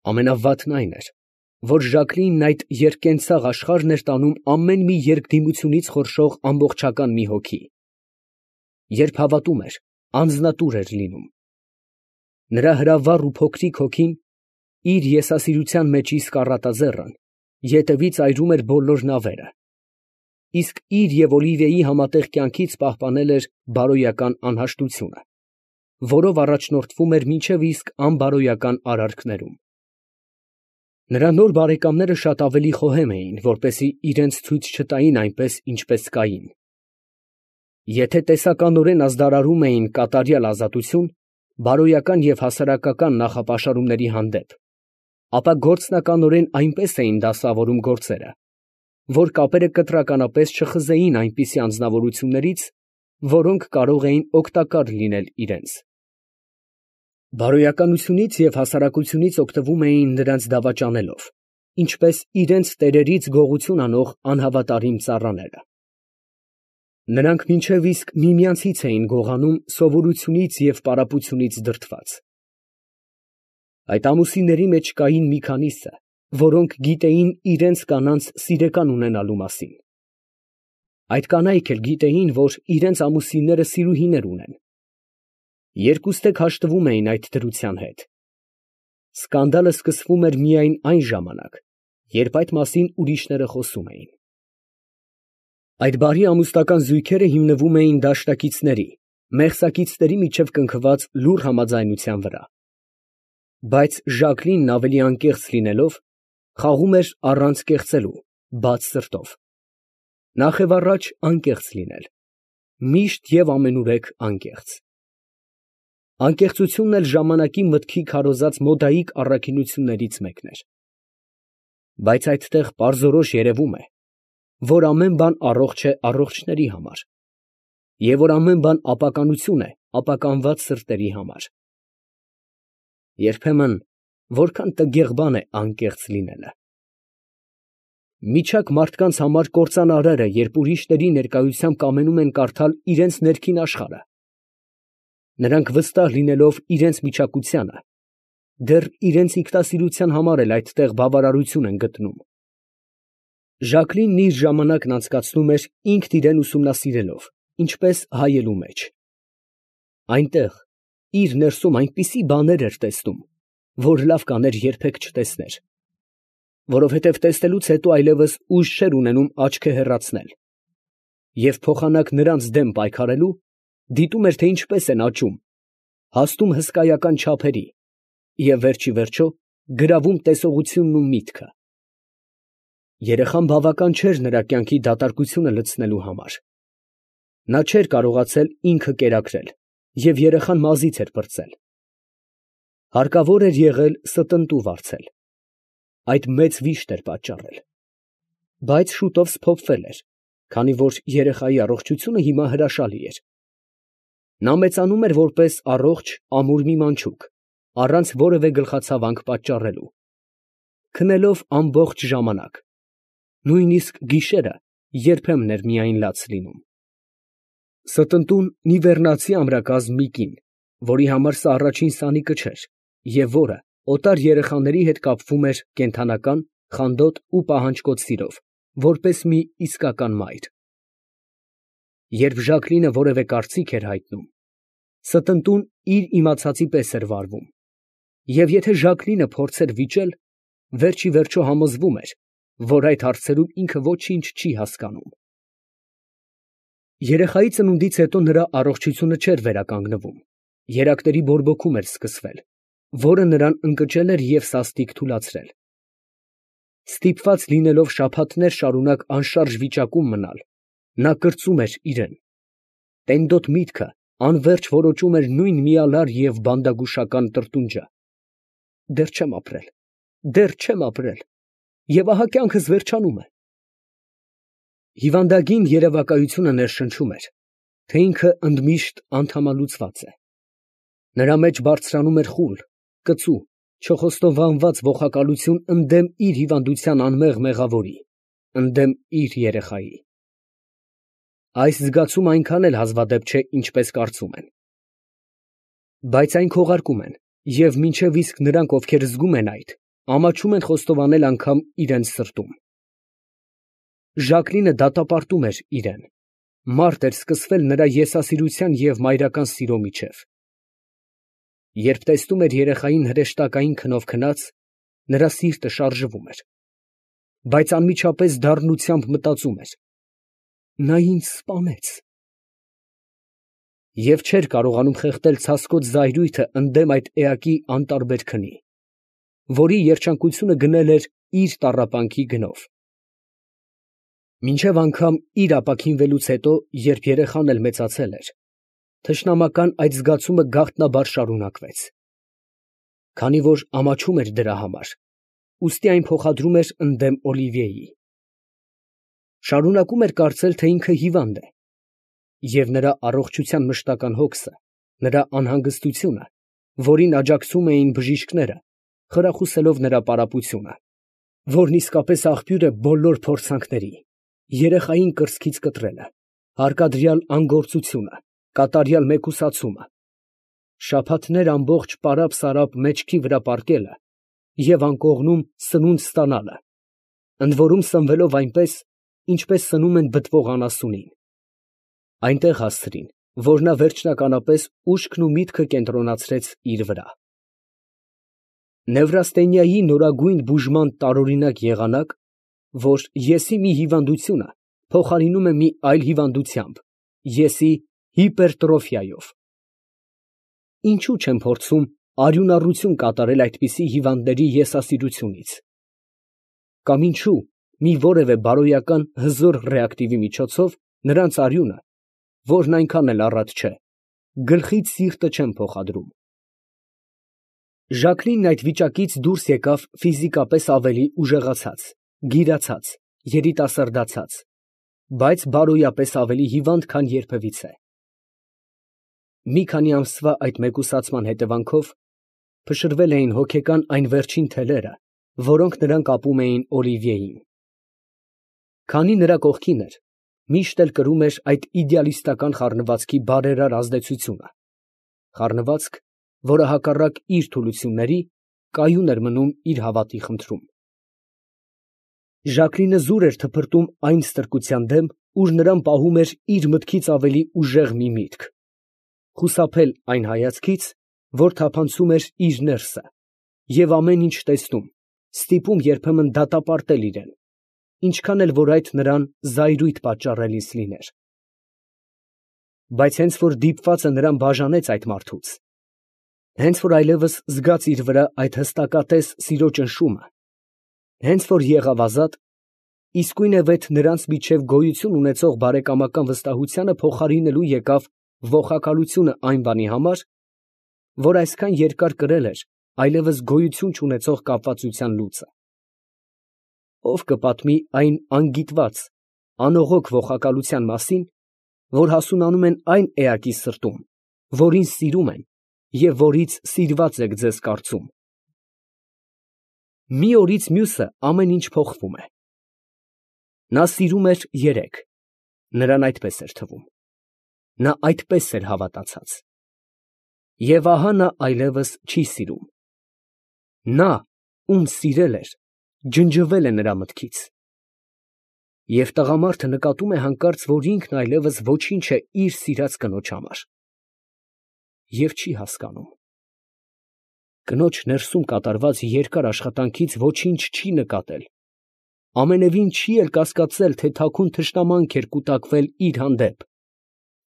Ամենավատն այն էր, որ Ժակլինն այդ երկկենցաղ աշխարհն էր տանում ամեն մի երկդիմությունից խորշող ամբողջական մի հոգի. երբ հավատում էր, անձնատուր էր լինում։ Նրա հրավառ ու փոքրիկ հոգին, իր եսասիրության մեջ իսկ առատաձեռն, ետևից այրում էր բոլոր նավերը, իսկ իր և Օլիվիեի համատեղ կյանքից պահպանել էր բարոյական անհաշտությունը, որով առաջնորդվում էր մինչև իսկ անբարոյական արարքներում։ Նրա նոր բարեկամները շատ ավելի խոհեմ էին, որպեսզի իրենց ցույց չտային այնպես, ինչպես Կային։ Եթե տեսականորեն ազդարարում էին կատարյալ ազատություն բարոյական և հասարակական նախապաշարումների հանդեպ, ապա գործնականորեն այնպես էին դասավորում գործերը, որ կապերը կտրականապես չխզեին այնպիսի անձնավորություններից, որոնք կարող էին օգտակար լինել իրենց։ Բարոյականությունից և հասարակությունից օգտվում էին նրանց դավաճանելով, ինչպես իրենց տերերից գողություն անող անհավատարիմ ծառաները։ Նրանք մինչև իսկ միմյանցից էին գողանում սովորությունից և պարապությունից դրդված։ Այդ ամուսինների մեջ կային մի քանիսը, որոնք գիտեին իրենց կանանց սիրեկան ունենալու մասին։ Այդ կանայք էլ գիտեին, որ իրենց ամուսինները սիրուհիներ ունեն։ Երկուստեք հաշտվում էին այդ դրության հետ։ Սկանդալը սկսվում էր միայն այն ժամանակ, երբ այդ մասին ուրիշները խոսում էին։ Այդ բարի ամուսնական զույգերը հիմնվում էին դաշնակիցների, մեղսակիցների միջև կնքված լուռ համաձայնության վրա։ Բայց Ժակլինն ավելի անկեղծ լինելով, խաղում էր առանց կեղծելու, բաց սրտով։ Նախևառաջ անկեղծ լինել, միշտ և ամենուրեք անկեղծ։ Անկեղծությունն էլ ժամանակի մտքի քարոզած մոդայիկ առաքինություններից մեկն էր։ Բայց այդտեղ պարզորոշ երևում է, որ ամեն բան առողջ է առողջների համար, և որ ամեն բան ապականություն է ապականված սրտերի համար։ Երբեմն որքան տգեղ բան է անկեղծ լինելը։ Միջակ մարդկանց համար կործանարար է, երբ ուրիշների ներկայությամբ կամենում են կարդալ իրենց ներքին աշխարհը։ Նրանք վստահ լինելով իրենց միջակությանը, դեռ իրենց ինքնասիրության համար էլ այդտեղ բավարարություն են գտնում։ Ժակլինն իր ժամանակն անցկացնում էր ինքն իրան ուսումնասիրելով, ինչպես հայելու մեջ։ Այնտեղ իր ներսում այնպիսի բաներ էր տեսնում, որ լավ կաներ երբեք չտեսներ, որովհետև տեսնելուց հետո այլևս ուժ չէր ունենում աչքը հեռացնել, և փոխանակ նրանց դեմ պայքարելու, դիտում էր, թե ինչպես են աճում, հասնում հսկայական չափերի և վերջիվերջո գրավում տեսողությունն ու միտքը։ Երեխան բավական չէր նրա կյանքի դատարկությունը լցնելու համար։ Նա չէր կարողացել ինքը կերակրել և երեխան մազից էր պրծել։ Հարկավոր էր եղել ստընտու վարձել։ Այդ մեծ վիշտ էր պատճառել։ Բայց շուտով սփոփվել էր, քանի որ երեխայի առողջությունը հիմա հրաշալի էր։ Նա մեծանում էր որպես առողջ, ամուր մի մանչուկ, առանց որևէ գլխացավանք պատճառելու, քնելով ամբողջ ժամանակ, նույնիսկ գիշերը երբեմն էր միայն լաց լինում։ Ստընտուն նիվեռնացի ամրակազմ մի կին, որի համար սա առաջին սանիկը չէր, և որը օտար երեխաների հետ կապվում էր կենդանական, խանդոտ ու պահանջկոտ սիրով, որպես մի իսկական մայր։ Երբ Ժակլինը որևէ կարծիք էր հայտնում, ստընտուն իր իմացածի պես էր վարվում, և եթե Ժակլինը փորձեր վիճել, վերջիվերջո համոզվում էր, որ այդ հարցերում ինքը ոչինչ չի հասկանում։ Երեխայի ծնունդից հետո նրա առողջությունը չէր վերականգնվում, երակների բորբոքում էր սկսվել, որը նրան ընկճել էր և սաստիկ թուլացրել։ Ստիպված լինելով շաբաթներ շարունակ անշարժ վիճակում մնալ, նա կրծում էր իրան։ Տենդոտ միտքը անվերջ որոճում էր նույն միալար և բանդագուշական տրտունջը. «Դեռ չեմ ապրել, դեռ չեմ ապրել, և ահա կյանքս վերջանում է»։ Հիվանդագին երևակայությունը ներշնչում էր, թե ինքը ընդմիշտ անդամալուծված է։ Նրա մեջ բարձրանում էր խուլ, կծու, չխոստովանված ողակալություն ընդդեմ իր հիվանդության անմեղ մեղավորի, ընդդեմ իր երեխայի։ Այս զգացումը այնքան էլ հազվադեպ չէ, ինչպես կարծում են։ Բայց այն քողարկում են, և մինչև իսկ նրանք, ովքեր զգում են այդ, ամաչում են խոստովանել անգամ իրենց սրտում։ Ժակլինը դատապարտում էր իրեն, մարդ էր սկսվել նրա եսասիրության և մայրական սիրո միջև։ Երբ տեսնում էր երեխային հրեշտակային քնով քնած, նրա սիրտը շարժվում էր, բայց անմիջապես դառնությամբ մտածում էր. նա ինձ սպանեց։ Եվ չէր կարողանում խեղդել ցասկոտ զայրույթը ընդդեմ այդ էակի անտարբեր քնի, որի երջանկությունը գնել էր իր տառապանքի գնով։ Մինչև անգամ իր ապաքինվելուց հետո, երբ երեխան էլ մեծացել էր, թշնամական այդ զգացումը գաղտնաբար շարունակվեց։ Քանի որ ամաչում էր դրա համար, ուստի այն փոխադրում էր ընդդեմ Օլիվիեի։ Շարունակում էր կարծել, թե ինքը հիվանդ է, և նրա առողջության մշտական հոգսը, նրա անհանգստությունը, որին աջակցում էին բժիշկները, խրախուսելով նրա պարապությունը, որն իսկապես աղբյուր է բոլոր փորձանքների, երեխային կրծքից կտրելը, հարկադրյալ անգործությունը, կատարյալ մեկուսացումը, շաբաթներ ամբողջ պարապ֊սարապ մեջքի վրա պառկելը և անկողնում սնունդ ստանալը, ընդ որում սնվելով այնպես, ինչպես սնում են բտվող անասունին, այնտեղ հասցրին, որ նա վերջնականապես ուշքն ու միտքը կենտրոնացրեց իր վրա։ Նևրաստենիայի նորագույն բուժման տարօրինակ եղանակ, որ եսի մի հիվանդությունը փոխարինում է մի այլ հիվանդությամբ, եսի հիպերտրոֆիայով։ Ինչու չեն փորձում արյունառություն կատարել այդպիսի հիվանդների եսասիրությունից։ Կամ ինչու մի որևէ բարոյական հզոր ռեակտիվի միջոցով նրանց արյունը, որն այնքան էլ առատ չէ, գլխից սիրտը չեն փոխադրում։ Ժակլինն այդ վիճակից դուրս եկավ ֆիզիկապես ավելի ուժեղացած, գիրացած, երիտասարդացած, բայց բարոյապես ավելի հիվանդ, քան երբևիցե։ Մի քանի ամսվա այդ մեկուսացման հետևանքով փշրվել էին հոգեկան այն վերջին թելերը, որոնք նրան կապում էին Օլիվիեին։ Քանի նրա կողքին էր, միշտ էլ կրում էր այդ իդեալիստական խառնվածքի բարերար ազդեցությունը, խառնվածք, որը հակառակ իր թուլությունների, կայուն էր մնում իր հավատի խնդրում։ Ժակլինը զուր էր թփրտում այն ստրկության դեմ, ուր նրան պահում էր իր մտքից ավելի ուժեղ մի միտք, խուսափել այն հայացքից, որ թափանցում էր իր ներսը, և ամեն ինչ տեսնում, ստիպում երբեմն դատապարտել իրեն, ինչքան էլ որ այդ նրան զայրույթ պատճառելիս լիներ։ Բայց հենց որ դիպվածը նրան բաժանեց այդ մարդուց, հենց որ այլևս զգաց իր վրա այդ հստակատես սիրո ճնշումը, հենց որ եղավ ազատ, իսկույնևեթ նրանց միջև գոյություն ունեցող բարեկամական վստահությանը փոխարինելու եկավ ողակալությունը այն բանի համար, որ այսքան երկար կրել էր այլևս գոյություն չունեցող կապվածության լուծը։ Ով կպատմի այն անգիտված, անողոք ողակալության մասին, որ հասունանում են այն էակի սրտում, որին սիրում են և որից սիրված եք ձեզ կարծում։ Մի օրից մյուսը ամեն ինչ փոխվում է։ Նա սիրում էր երեկ, նրան այդպես էր թվում, նա այդպես էր հավատացած։ Եվ ահա նա այլևս չի սիրում։ Նա, ում սիրել էր, ջնջվել է նրա մտքից։ Եվ տղամարդը նկատում է հանկարծ, որ ինքն այլևս ոչինչ է իր սիրած կնոջ համար, և չի հասկանում։ Կնոջ ներսում կատարված երկար աշխատանքից ոչինչ չի նկատել, ամենևին չի էլ կասկածել, թե թաքուն թշնամանք էր կուտակվել իր հանդեպ,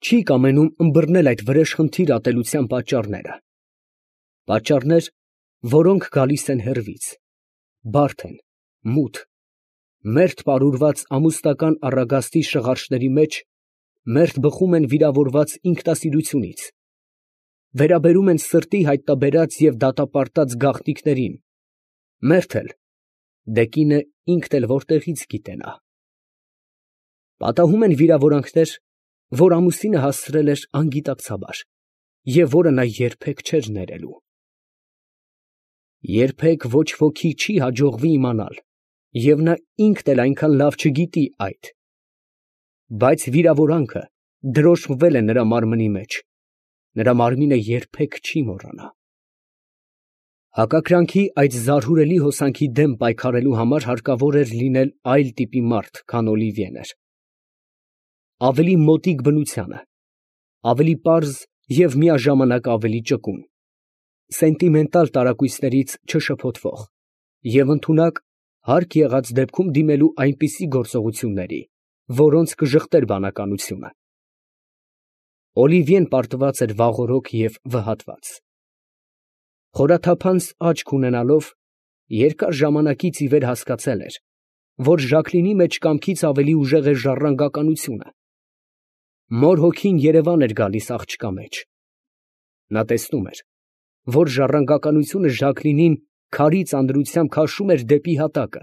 չի կամենում ըմբռնել այդ վրեժխնդիր ատելության պատճառները, պատճառներ, որոնք գալիս են հեռվից, բարդ են, մութ, մերթ պարուրված ամուսնական առագաստի շղարշների մեջ, մերթ բխում են վիրավորված ինքնասիրությունից, վերաբերում են սրտի հայտնաբերած և դատապարտած գաղտնիքներին, մերթ էլ, դե կինը ինքն էլ որտեղից գիտենա։ Պատահում են վիրավորանքներ, որ ամուսինը հասցրել էր անգիտակցաբար, և որը նա երբեք չէր ներելու։ Երբեք ոչ ոքի չի հաջողվի իմանալ, և նա ինքն էլ այնքան լավ չգիտի այդ, բայց վիրավորանքը դրոշմվել է նրա մարմնի մեջ, նրա մարմինը երբեք չի մոռանա։ Հակակրանքի այդ զարհուրելի հոսանքի դեմ պայքարելու համար հարկավոր էր լինել այլ տիպի մարդ, քան Օլիվիեն էր. ավելի մոտիկ բնությանը, ավելի պարզ և միաժամանակ ավելի ճկուն, սենտիմենտալ տարակույսներից չշփոթվող և ընդունակ, հարկ եղած դեպքում դիմելու այնպիսի գործողությունների, որոնց կժխտեր բանականությունը։ Օլիվիեն պարտված էր վաղօրոք և վհատված։ Խորաթափանց աչք ունենալով, երկար ժամանակից ի վեր հասկացել էր, որ Ժակլինի մեջ կամքից ավելի ուժեղ է ժառանգականությունը։ Մոր հոգին երևան էր գալիս աղջկա մեջ։ Նա տեսնում էր, որ ժառանգականությունը Ժակլինին քարի ծանրությամբ քաշում էր դեպի հատակը,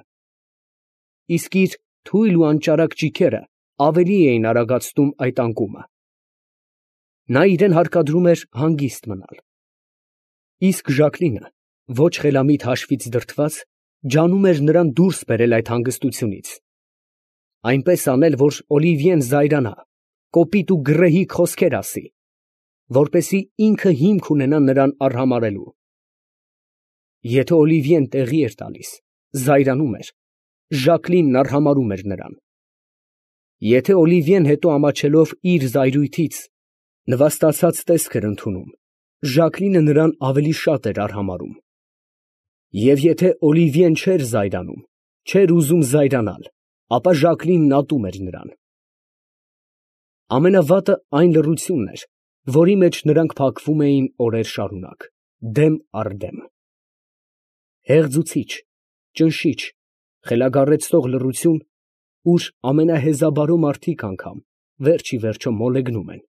իսկ իր թույլ ու անճարակ ճիգերը ավելի էին արագացնում այդ անկումը։ Նա իրան հարկադրում էր հանգիստ մնալ, իսկ Ժակլինը, ոչ խելամիտ հաշվից դրդված, ջանում էր նրան դուրս բերել այդ հանգստությունից, այնպես անել, որ Օլիվիեն զայրանա, կոպիտ ու գռեհիկ խոսքեր ասի, որպեսզի ինքը հիմք ունենա նրան արհամարհելու։ Եթե Օլիվիեն տեղի էր տալիս, զայրանում էր, Ժակլինն արհամարհում էր նրան։ Եթե Օլիվիեն հետո ամաչելով իր զայրույթից նվաստացած տեսք էր ընդունում, Ժակլինը նրան ավելի շատ էր արհամարհում։ Եվ եթե Օլիվիեն չէր զայրանում, չէր ուզում զայրանալ, ապա Ժակլինն ատում էր նրան։ Ամենավատը այն լռությունն էր, որի մեջ նրանք փակվում էին օրեր շարունակ, դեմ առ դեմ։ Հեղձուցիչ, ճնշիչ, խելագարեցնող լռություն, ուր ամենահեզաբարո մարդիկ անգամ վերջ ի վերջո մոլեգնում են։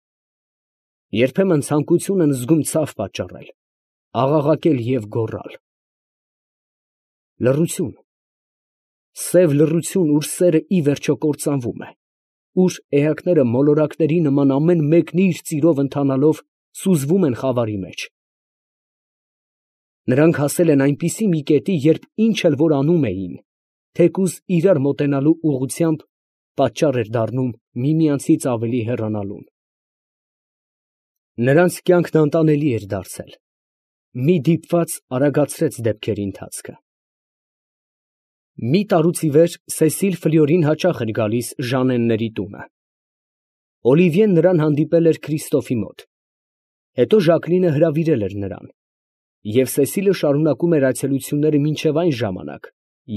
Երբեմն ցանկություն են զգում ցավ պատճառել, աղաղակել և գոռալ։ Լռություն, սև լռություն, ուր սերը ի վերջո կործանվում է, ուր էակները մոլորակների նման ամեն մեկն իր ծիրով ընթանալով սուզվում են խավարի մեջ։ Նրանք հասել են այնպիսի մի կետի, երբ ինչ էլ որ անում էին, թեկուզ իրար մոտենալու ուղղությամբ, պատճառ էր դառնում միմյանցից ավելի հեռանալուն։ Նրանց կյանքն անտանելի էր դարձել։ Մի դիպված արագացրեց դեպքերի ընթացքը։ Մի տարուց ի վեր Սեսիլ Ֆլյորին հաճախ էր գալիս Ժաննենների տունը։ Օլիվիեն նրան հանդիպել էր Քրիստոֆի մոտ, հետո Ժակլինը հրավիրել էր նրան, և Սեսիլը շարունակում էր այցելությունները մինչև այն ժամանակ,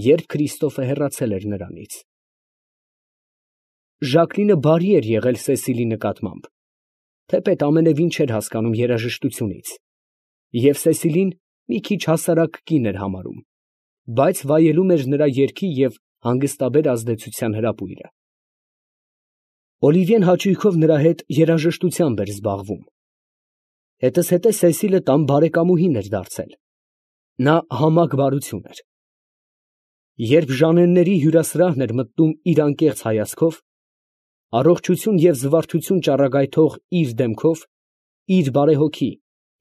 երբ Քրիստոֆը հեռացել էր նրանից։ Ժակլինը բարի էր եղել Սեսիլի նկատմամբ, թեպետ ամենևին չէր հասկանում երաժշտությունից, և Սեսիլին մի քիչ հասարակ կին էր համարում, բայց վայելում էր նրա երգի և հանգստաբեր ազդեցության հրապույրը։ Օլիվիեն հաճույքով նրա հետ երաժշտությամբ էր զբաղվում։ Հետզհետե Սեսիլը տան բարեկամուհին էր դարձել։ Նա համակ բարություն էր։ Երբ Ժաննենների հյուրասրահն էր մտնում իր անկեղծ հայացքով, առողջություն և զվարթություն ճառագայթող իր դեմքով, իր բարեհոգի,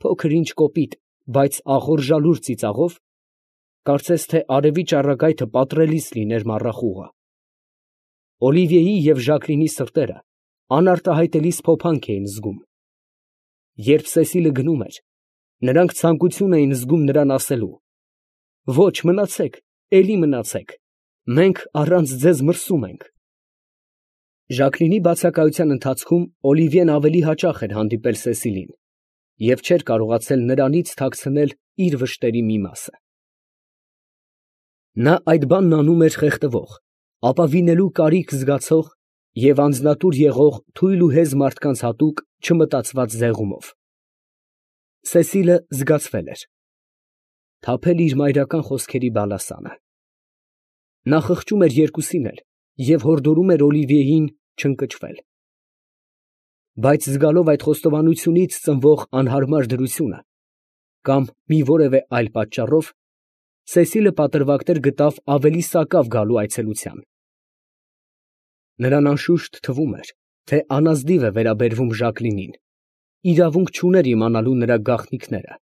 փոքր ինչ կոպիտ, բայց ախորժալուր ծիծաղով, կարծես թե արևի ճառագայթը պատռելիս լիներ մառախուղը, Օլիվիեի և Ժակլինի սրտերը անարտահայտելիս փոփանք էին զգում։ Երբ Սեսիլը գնում էր, նրանք ցանկություն էին զգում նրան ասելու. «Ոչ, մնացեք, էլի մնացեք, մենք առանց ձեզ մրսում ենք»։ Ժակլինի բացակայության ընթացքում Օլիվիեն ավելի հաճախ էր հանդիպել Սեսիլին և չէր կարողացել նրանից թաքցնել իր վշտերի մի մասը։ Նա այդ բանն անում էր խեղդվող, ապավինելու կարիք զգացող և անձնատուր եղող թույլ ու հեզ մարդկանց հատուկ չմտածված ձեղումով։ Սեսիլը զգացվել էր, թափել իր մայրական խոսքերի բալասանը։ Նա խղճում էր երկուսին էլ և հորդորում էր Օլիվիեին չընկճվել։ Բայց զգալով այդ խոստովանությունից ծնվող անհարմար դրությունը կամ մի որևէ այլ պատճառով, Սեսիլը պատրվակներ գտավ ավելի սակավ գալու այցելության։ Նրան անշուշտ թվում էր, թե անազնիվ է վերաբերվում Ժակլինին, իրավունք չուներ իմանալու նրա գաղտնիքները։